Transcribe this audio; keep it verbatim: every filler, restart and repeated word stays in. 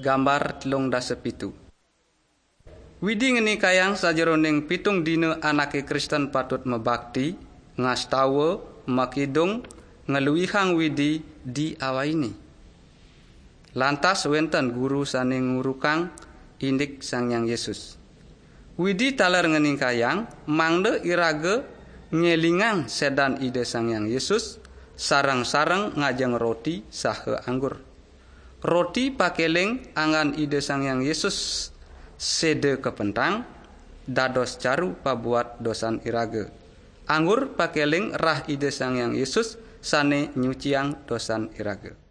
Gambar telung dasa pitu. Widi ngenikayang sajeroning pitung dina anake Kristen patut mabakti, ngastawa, makidung, ngluihang Widi di awaine. Lantas wenten guru sane ngurukang indik Sang Hyang Yesus. Widi taler ngenikayang mangda iraga ngelingang sedan Ida Sang Hyang Yesus, sareng-sareng ngajeng roti saha anggur. Roti pakeling anggan Ida Sang Hyang Yesus seda kapentang, dados caru pabuat dosan iraga. Anggur pakeling rah Ida Sang Hyang Yesus sane nyuciang dosan iraga.